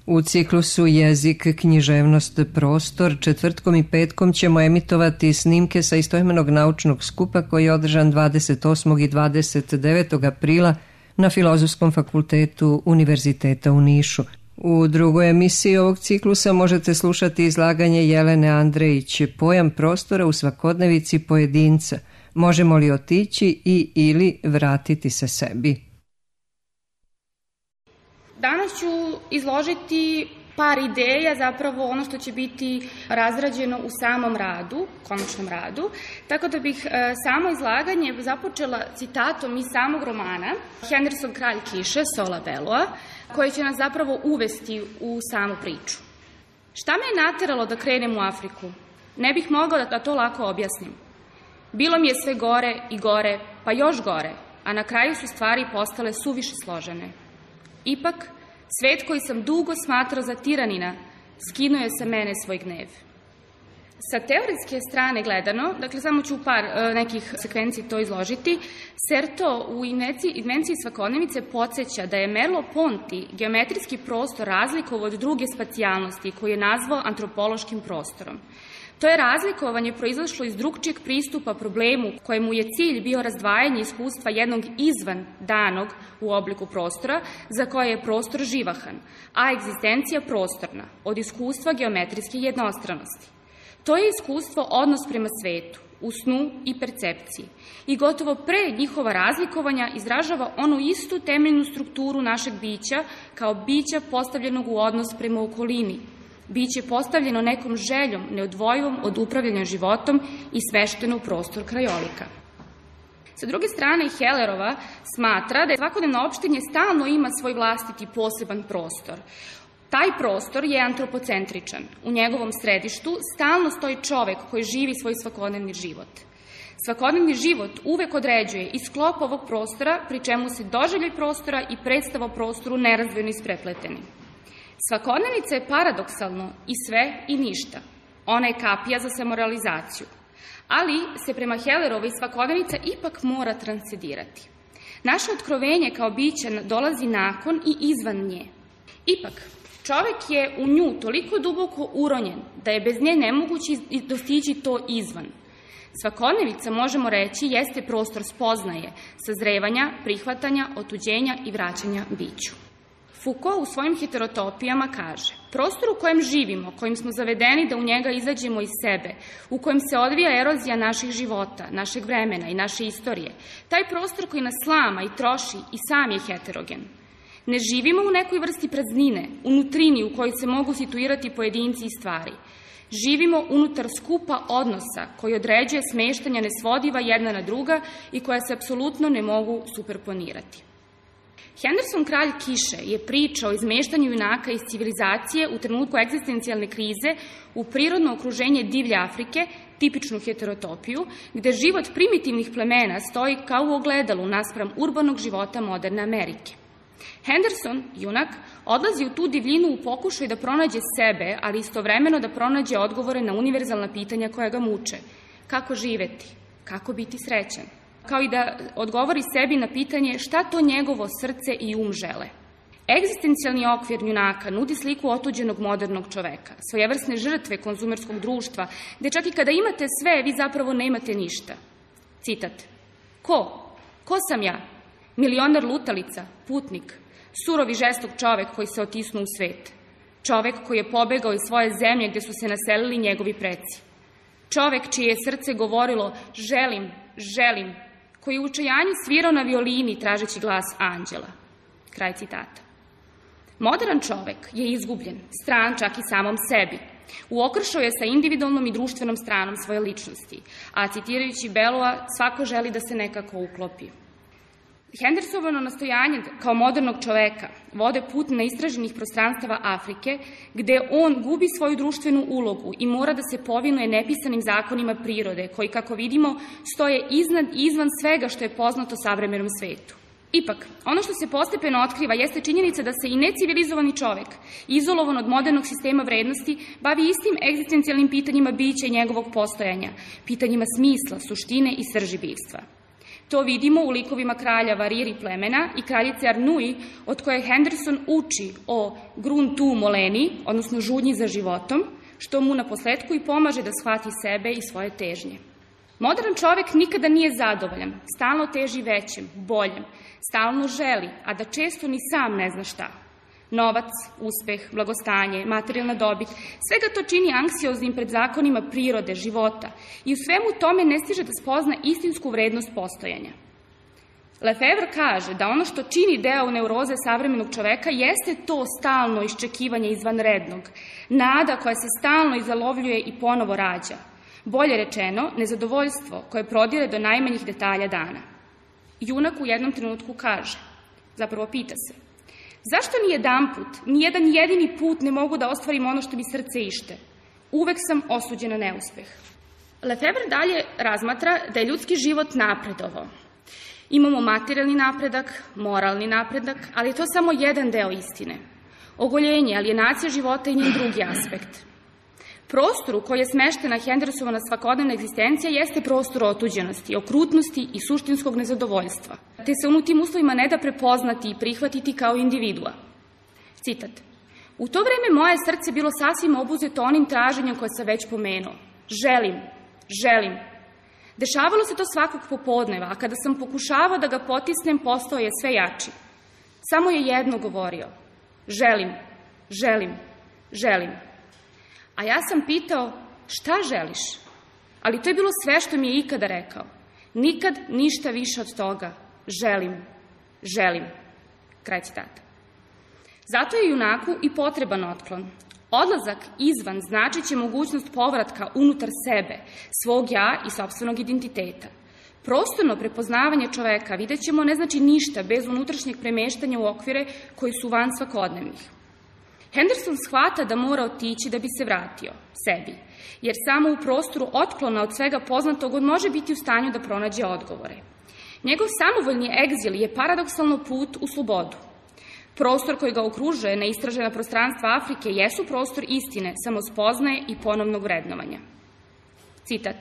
U ciklusu Jezik, književnost, prostor četvrtkom i petkom ćemo emitovati snimke sa istoimenog naučnog skupa koji je održan 28. i 29. aprila na Filozofskom fakultetu Univerziteta u Nišu. U drugoj emisiji ovog ciklusa možete slušati izlaganje Jelene Andrejić, pojam prostora u svakodnevici pojedinca. Možemo li otići i ili vratiti se sebi? Danas ću izložiti par ideja, zapravo ono što će biti razrađeno u samom radu, konačnom radu, tako da bih samo izlaganje započela citatom iz samog romana Henderson Kralj kiše, Sola Belloa, koji će nas zapravo uvesti u samu priču. Šta me je nateralo da krenem u Afriku? Ne bih mogla da to lako objasnim. Bilo mi je sve gore i gore, pa još gore, a na kraju su stvari postale suviše složene. Ipak, svet koji sam dugo smatrao za tiranina, skinuo je sa mene svoj gnev. Sa teoretske strane gledano, dakle samo ću par nekih sekvenciji to izložiti, Certeau u Invenciji svakodnevice podsjeća da je Merleau-Ponty geometrijski prostor razlikovao od druge spacijalnosti koju je nazvao antropološkim prostorom. To je razlikovanje proizašlo iz drugčijeg pristupa problemu kojemu je cilj bio razdvajanje iskustva jednog izvan danog u obliku prostora za koje je prostor živahan, a egzistencija prostorna od iskustva geometrijske jednostranosti. To je iskustvo odnos prema svetu, u snu i percepciji i gotovo pre njihova razlikovanja izražava onu istu temeljnu strukturu našeg bića kao bića postavljenog u odnos prema okolini, biće postavljeno nekom željom neodvojivom od upravljanja životom i smešteno u prostor krajolika. Sa druge strane, Hellerova smatra da je svakodnevno opštenje stalno ima svoj vlastiti poseban prostor. Taj prostor je antropocentričan. U njegovom središtu stalno stoji čovek koji živi svoj svakodnevni život. Svakodnevni život uvek određuje i sklop ovog prostora, pri čemu se doživljaj prostora i predstava o prostoru nerazdvojno isprepleteni. Svakodnevica je paradoksalno i sve i ništa. Ona je kapija za samorealizaciju. Ali se prema Hellerovoj svakodnevica ipak mora transcendirati. Naše otkrovenje kao bića dolazi nakon i izvan nje. Ipak, čovek je u nju toliko duboko uronjen da je bez nje nemoguće dostići to izvan. Svakodnevica, možemo reći, jeste prostor spoznaje, sazrevanja, prihvatanja, otuđenja i vraćanja biću. Foucault u svojim heterotopijama kaže: prostor u kojem živimo, kojim smo zavedeni da u njega izađemo iz sebe, u kojem se odvija erozija naših života, našeg vremena i naše istorije, taj prostor koji nas slama i troši i sam je heterogen. Ne živimo u nekoj vrsti praznine, u nutrini u kojoj se mogu situirati pojedinci i stvari. Živimo unutar skupa odnosa koji određuje smeštanja nesvodiva jedna na druga i koja se apsolutno ne mogu superponirati. Henderson Kralj kiše je priča o izmeštanju junaka iz civilizacije u trenutku egzistencijalne krize u prirodno okruženje divlje Afrike, tipičnu heterotopiju, gde život primitivnih plemena stoji kao u ogledalu naspram urbanog života moderne Amerike. Henderson, junak, odlazi u tu divljinu u pokušaju da pronađe sebe, ali istovremeno da pronađe odgovore na univerzalna pitanja koja ga muče. Kako živeti? Kako biti srećan? Kao i da odgovori sebi na pitanje šta to njegovo srce i žele. Egzistencijalni okvir junaka nudi sliku otuđenog modernog čoveka, svojevrsne žrtve konzumerskog društva, gde čak i kada imate sve, vi zapravo nemate ništa. Citat: Ko? Ko sam ja? Milioner lutalica, putnik, surov i žestok čovek koji se otisnuo u svet. Čovek koji je pobegao iz svoje zemlje gde su se naselili njegovi preci. Čovek čije je srce govorilo želim, želim, koji je u učajanju svirao na violini tražeći glas anđela. Kraj citata. Modern čovek je izgubljen, stran čak i samom sebi. U okršaju je sa individualnom i društvenom stranom svoje ličnosti, a citirajući Belloa, svako želi da se nekako uklopi. Hendersonovo nastojanje kao modernog čoveka vode put na istraženih prostranstava Afrike, gde on gubi svoju društvenu ulogu i mora da se povinuje nepisanim zakonima prirode, koji, kako vidimo, stoje iznad i izvan svega što je poznato savremenom svetu. Ipak, ono što se postepeno otkriva jeste činjenica da se i necivilizovani čovek, izolovan od modernog sistema vrednosti, bavi istim egzistencijalnim pitanjima bića i njegovog postojanja, pitanjima smisla, suštine i srži bivstva. To vidimo u likovima kralja Variri plemena i kraljice Arnui, od koje Henderson uči o grun tu moleni, odnosno žudnji za životom, što mu na posledku i pomaže da shvati sebe i svoje težnje. Modern čovek nikada nije zadovoljan, stalno teži većem, boljem, stalno želi, a da često ni sam ne zna šta. Novac, uspeh, blagostanje, materijalna dobit, svega to čini anksioznim pred zakonima prirode, života i u svemu tome ne stiže da spozna istinsku vrednost postojanja. Lefevre kaže da ono što čini deo neuroze savremenog čoveka jeste to stalno iščekivanje izvanrednog, nada koja se stalno izalovljuje i ponovo rađa. Bolje rečeno, nezadovoljstvo koje prodire do najmanjih detalja dana. Junak u jednom trenutku kaže, zapravo pita se, zašto ni jedanput, ni jedan jedini put ne mogu da ostvarim ono što mi srce ište? Uvek sam osuđen na neuspeh. Lefevre dalje razmatra da je ljudski život napredovao. Imamo materijalni napredak, moralni napredak, ali je to samo jedan deo istine. Ogoljenje, alienacija života i njen drugi aspekt. Prostor u koji je smeštena Hendersonova svakodnevna egzistencija jeste prostor otuđenosti, okrutnosti i suštinskog nezadovoljstva, te se u tim uslovima ne da prepoznati i prihvatiti kao individua. Citat. U to vreme moje srce bilo sasvim obuzeto onim traženjem koje sam već pomenuo. Želim. Dešavalo se to svakog popodneva, a kada sam pokušavao da ga potisnem, postao je sve jači. Samo je jedno govorio. Želim. A ja sam pitao, šta želiš? Ali to je bilo sve što mi je ikada rekao. Nikad ništa više od toga. Želim. Kraj citata. Zato je junaku i potreban otklon. Odlazak izvan znači će mogućnost povratka unutar sebe, svog ja i sopstvenog identiteta. Prostorno prepoznavanje čoveka, vidjet ćemo, ne znači ništa bez unutrašnjeg premeštanja u okvire koji su van svakodnevnih. Henderson shvata da mora otići da bi se vratio sebi, jer samo u prostoru otklona od svega poznatog on može biti u stanju da pronađe odgovore. Njegov samovoljni egzil je paradoksalno put u slobodu. Prostor koji ga okružuje, neistražena prostranstva Afrike, jesu prostor istine, samospoznaje i ponovnog vrednovanja. Citat.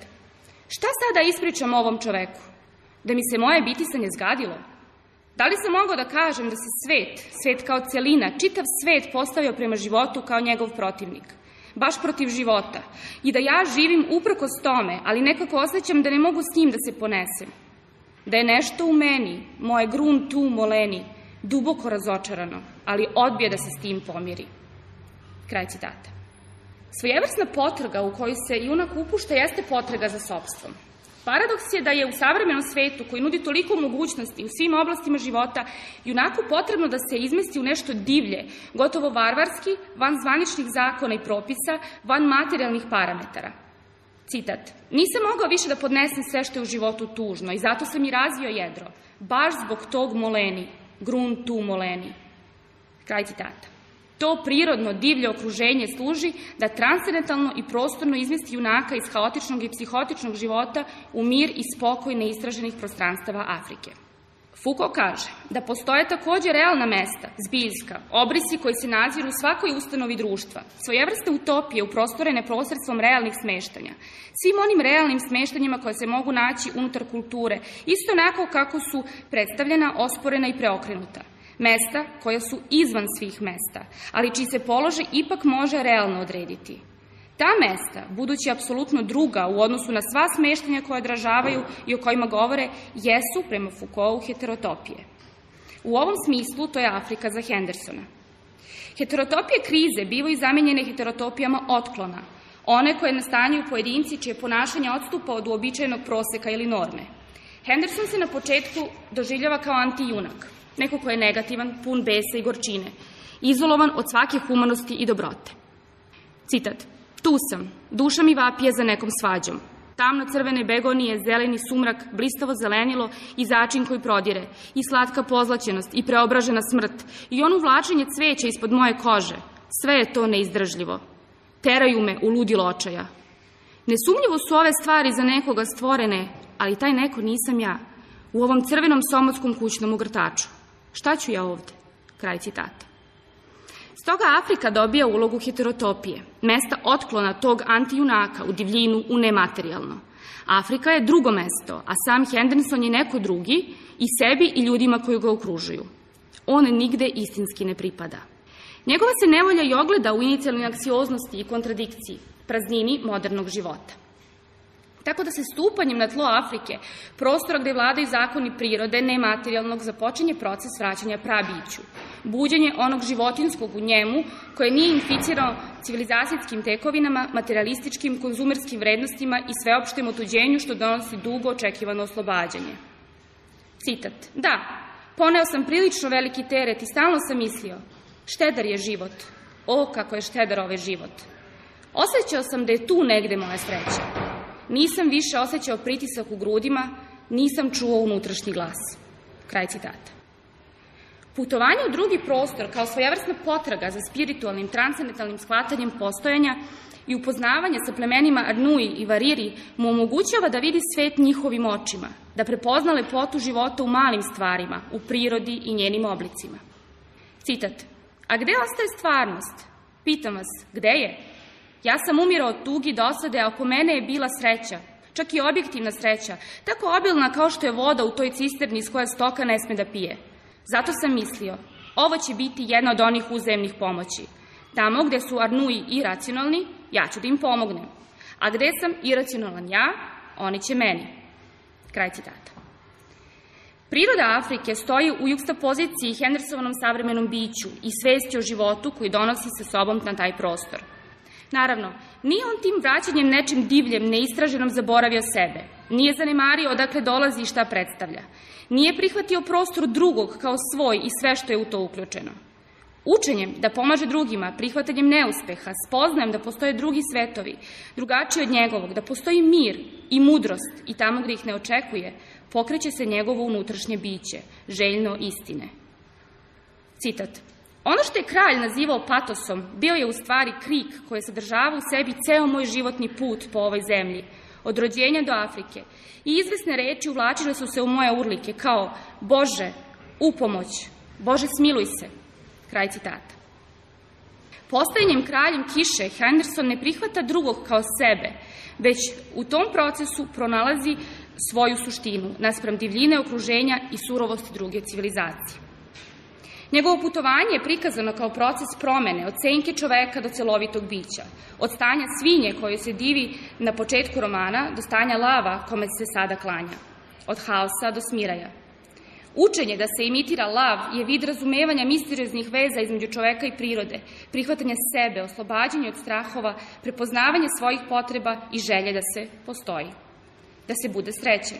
Šta sada ispričam ovom čoveku? Da mi se moje bitisanje zgadilo? Da li sam mogao da kažem da se svet kao celina, čitav svet postavio prema životu kao njegov protivnik, baš protiv života, i da ja živim uprkos tome, ali nekako osjećam da ne mogu s njim da se ponesem, da je nešto u meni, moje grun tu moleni, duboko razočarano, ali odbije da se s tim pomiri. Kraj citata. Svojevrsna potraga u koju se junak upušta jeste potraga za sopstvom. Paradoks je da je u savremenom svetu, koji nudi toliko mogućnosti u svim oblastima života, junaku potrebno da se izmesti u nešto divlje, gotovo varvarski, van zvaničnih zakona i propisa, van materijalnih parametara. Citat. Nisam mogao više da podnesem sve što je u životu tužno i zato sam i razvio jedro, baš zbog tog moleni, grun tu moleni. Kraj citata. To prirodno divlje okruženje služi da transcendentalno i prostorno izmesti junaka iz haotičnog i psihotičnog života u mir i spokoj neistraženih prostranstava Afrike. Foucault kaže da postoje takođe realna mesta, zbiljska, obrisi koji se naziru u svakoj ustanovi društva, svojevrsne utopije uprostorene posredstvom realnih smeštanja, svim onim realnim smeštanjima koje se mogu naći unutar kulture, isto onako kako su predstavljena, osporena i preokrenuta. Mesta koja su izvan svih mesta, ali čiji se položaj ipak može realno odrediti. Ta mesta, budući apsolutno druga u odnosu na sva smeštanja koje odražavaju i o kojima govore, jesu, prema Foucaultu, heterotopije. U ovom smislu to je Afrika za Hendersona. Heterotopije krize bivaju zamenjene heterotopijama otklona, one koje nastanjuju pojedinci čije ponašanje odstupa od uobičajenog proseka ili norme. Henderson se na početku doživljava kao antijunak, neko ko je negativan, pun besa i gorčine, izolovan od svake humanosti i dobrote. Citat. Tu sam, duša mi vapije za nekom svađom. Tamno crvene begonije, zeleni sumrak, blistavo zelenilo i začin koji prodire, i slatka pozlaćenost, i preobražena smrt, i ono vlačenje cveća ispod moje kože. Sve je to neizdržljivo. Teraju me u ludilo očaja. Nesumnjivo su ove stvari za nekoga stvorene, ali taj neko nisam ja, u ovom crvenom somotskom kućnom ugrtaču. Šta ću ja ovde? Kraj citata. Stoga Afrika dobija ulogu heterotopije, mesta otklona tog antijunaka u divljinu, u nematerijalno. Afrika je drugo mesto, a sam Henderson je neko drugi i sebi i ljudima koji ga okružuju. On nigde istinski ne pripada. Njegova se nevolja i ogleda u inicijalnoj anksioznosti i kontradikciji, praznini modernog života. Tako da se stupanjem na tlo Afrike, prostora gde vladaju zakoni prirode, nematerijalnog, započinje proces vraćanja prabiću, buđenje onog životinskog u njemu koje nije inficirao civilizacijskim tekovinama, materialističkim, konzumerskim vrednostima i sveopštem otuđenju što donosi dugo očekivano oslobađanje. Citat. Da, poneo sam prilično veliki teret i stalno sam mislio, štedar je život, o kako je štedar ovaj život. Osjećao sam da je tu negde moja sreća. Nisam više osjećao pritisak u grudima, nisam čuo unutrašnji glas. Kraj citata. Putovanje u drugi prostor kao svojevrsna potraga za spiritualnim, transcendentalnim shvatanjem postojanja i upoznavanje sa plemenima Arnui i Variri mu omogućava da vidi svet njihovim očima, da prepozna lepotu života u malim stvarima, u prirodi i njenim oblicima. Citat. A gde ostaje stvarnost? Pitam vas, gde je? Ja sam umirao od tugi dosade, a oko mene je bila sreća, čak i objektivna sreća, tako obilna kao što je voda u toj cisterni iz koje stoka ne sme da pije. Zato sam mislio, ovo će biti jedna od onih uzajemnih pomoći. Tamo gde su Arnui iracionalni, ja ću da im pomognem. A gde sam iracionalan ja, oni će meni. Kraj citata. Priroda Afrike stoji u jukstapoziciji Hendersonovom savremenom biću i svesti o životu koji donosi sa sobom na taj prostor. Naravno, nije on tim vraćanjem nečim divljem, neistraženom zaboravio sebe. Nije zanemario odakle dolazi i šta predstavlja. Nije prihvatio prostor drugog kao svoj i sve što je u to uključeno. Učenjem da pomaže drugima, prihvatanjem neuspeha, spoznajem da postoje drugi svetovi, drugačiji od njegovog, da postoji mir i mudrost i tamo gde ih ne očekuje, pokreće se njegovo unutrašnje biće, željno istine. Citat. Ono što je kralj nazivao patosom, bio je u stvari krik koji je sadržavao u sebi ceo moj životni put po ovoj zemlji, od rođenja do Afrike, i izvesne reči uvlačile su se u moje urlike kao Bože, upomoć, Bože smiluj se, kraj citata. Postajanjem kraljem kiše, Henderson ne prihvata drugog kao sebe, već u tom procesu pronalazi svoju suštinu naspram divljine okruženja i surovosti druge civilizacije. Njegovo putovanje je prikazano kao proces promene od senke čoveka do celovitog bića, od stanja svinje koje se divi na početku romana do stanja lava kome se sada klanja, od haosa do smiraja. Učenje da se imitira lav je vid razumevanja misterioznih veza između čoveka i prirode, prihvatanje sebe, oslobađanje od strahova, prepoznavanje svojih potreba i želje da se postoji, da se bude srećen.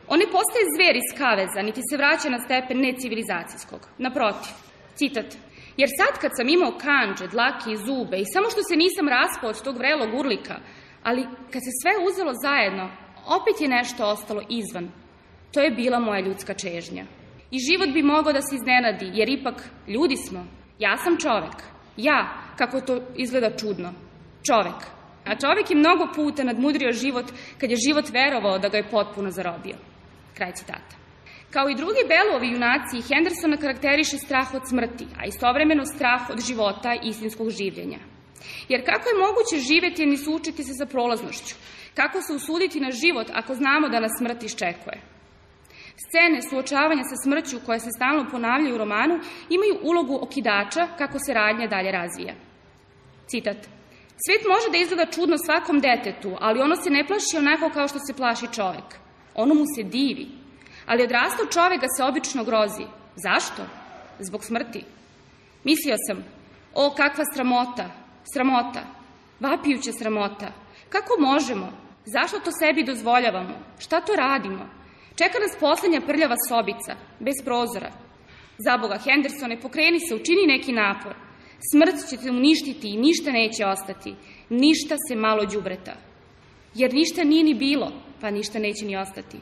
On ne postaje zver iz kaveza, niti se vraća na stepen necivilizacijskog. Naprotiv, citat, jer sad kad sam imao kandže, dlake i zube i samo što se nisam raspao od tog vrelog urlika, ali kad se sve uzelo zajedno, opet je nešto ostalo izvan. To je bila moja ljudska čežnja. I život bi mogao da se iznenadi, jer ipak ljudi smo. Ja sam čovek. Ja, kako to izgleda čudno. Čovek. A čovek je mnogo puta nadmudrio život kad je život verovao da ga je potpuno zarobio. Kraj citata. Kao i drugi Bellovi junaci, Hendersona karakteriše strah od smrti, a istovremeno strah od života i istinskog življenja. Jer kako je moguće živeti, a ni suočiti se sa prolaznošću? Kako se usuditi na život ako znamo da nas smrt iščekuje? Scene suočavanja sa smrću koje se stalno ponavljaju u romanu imaju ulogu okidača kako se radnja dalje razvija. Citat. Svet može da izgleda čudno svakom detetu, ali ono se ne plaši onako kao što se plaši čovek. Ono mu se divi. Ali odrastao čovek ga se obično grozi. Zašto? Zbog smrti. Mislio sam, o kakva sramota, sramota, vapijuća sramota. Kako možemo? Zašto to sebi dozvoljavamo? Šta to radimo? Čeka nas poslednja prljava sobica, bez prozora. Zaboga, Hendersone, pokreni se, učini neki napor. Smrt će te uništiti i ništa neće ostati. Ništa se malo đubreta. Jer ništa nije ni bilo, pa ništa neće ni ostati.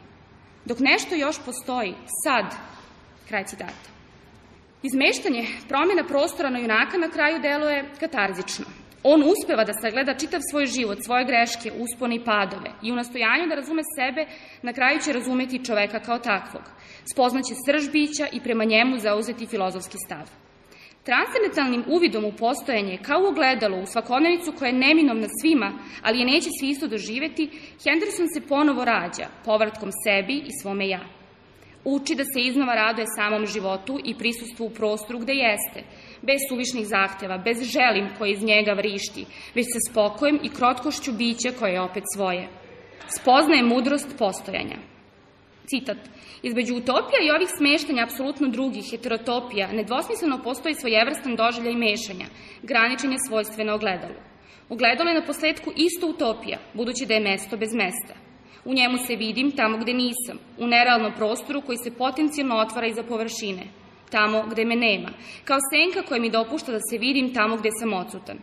Dok nešto još postoji, sad, kraj citata. Izmeštanje promjena prostora na junaka na kraju deluje katarzično. On uspeva da sagleda čitav svoj život, svoje greške, uspone i padove i u nastojanju da razume sebe, na kraju će razumeti čoveka kao takvog. Spoznaće srž bića i prema njemu zauzeti filozofski stav. Transcendentalnim uvidom u postojanje, kao u ogledalo, u svakodnevicu koja je neminovna svima, ali je neće svi isto doživeti, Henderson se ponovo rađa, povratkom sebi i svome ja. Uči da se iznova raduje samom životu i prisustvu u prostoru gde jeste, bez suvišnih zahteva, bez želim koji iz njega vrišti, već sa spokojem i krotkošću bića koje je opet svoje. Spoznaje mudrost postojanja. Citat. Između utopija i ovih smeštanja apsolutno drugih, heterotopija, nedvosmisleno postoji svojevrstan doživljaj mešanja, graničenja svojstveno ogledalu. Ogledalo je na posledku isto utopija, budući da je mesto bez mesta. U njemu se vidim tamo gde nisam, u nerealnom prostoru koji se potencijalno otvara iza površine, tamo gde me nema, kao senka koja mi dopušta da se vidim tamo gde sam odsutan.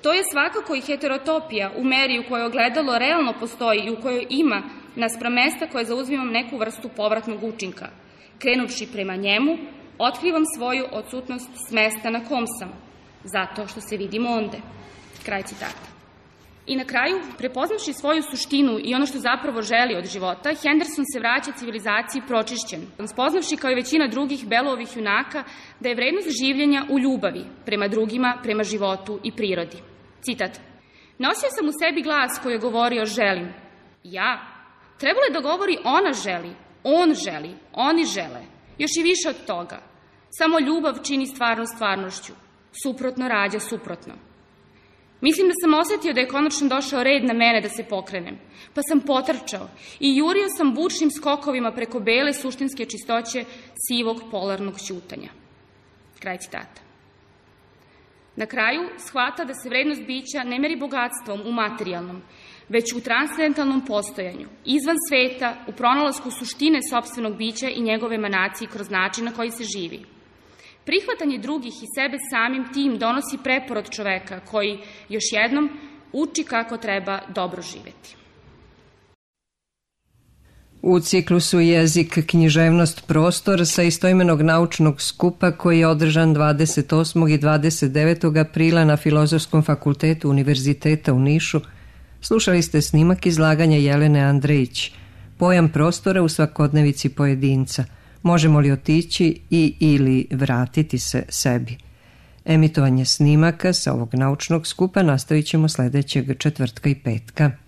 To je svakako i heterotopija u meri u kojoj ogledalo realno postoji i u kojoj ima naspram mesta koje zauzimam neku vrstu povratnog učinka. Krenuvši prema njemu, otkrivam svoju odsutnost s mesta na kom sam, zato što se vidim onde. Kraj citata. I na kraju, prepoznavši svoju suštinu i ono što zapravo želi od života, Henderson se vraća civilizaciji pročišćen, spoznavši kao i većina drugih Bellovih junaka da je vrednost življenja u ljubavi prema drugima, prema životu i prirodi. Citat. Nosio sam u sebi glas koji je govorio želim. Ja. Trebalo je da govori ona želi, on želi, oni žele. Još i više od toga. Samo ljubav čini stvarnost stvarnošću. Suprotno rađa suprotno. Mislim da sam osetio da je konačno došao red na mene da se pokrenem, pa sam potrčao i jurio sam bučnim skokovima preko bele suštinske čistoće sivog polarnog ćutanja. Kraj citata. Na kraju shvata da se vrednost bića ne meri bogatstvom u materijalnom, već u transcendentalnom postojanju, izvan sveta, u pronalasku suštine sopstvenog bića i njegove emanacije kroz način na koji se živi. Prihvatanje drugih i sebe samim tim donosi preporod čoveka koji, još jednom, uči kako treba dobro živeti. U ciklusu Jezik, književnost, prostor sa istoimenog naučnog skupa koji je održan 28. i 29. aprila na Filozofskom fakultetu Univerziteta u Nišu, slušali ste snimak izlaganja Jelene Andrejić, pojam prostora u svakodnevici pojedinca. Možemo li otići ili vratiti se sebi? Emitovanje snimaka sa ovog naučnog skupa nastavit ćemo sledećeg četvrtka i petka.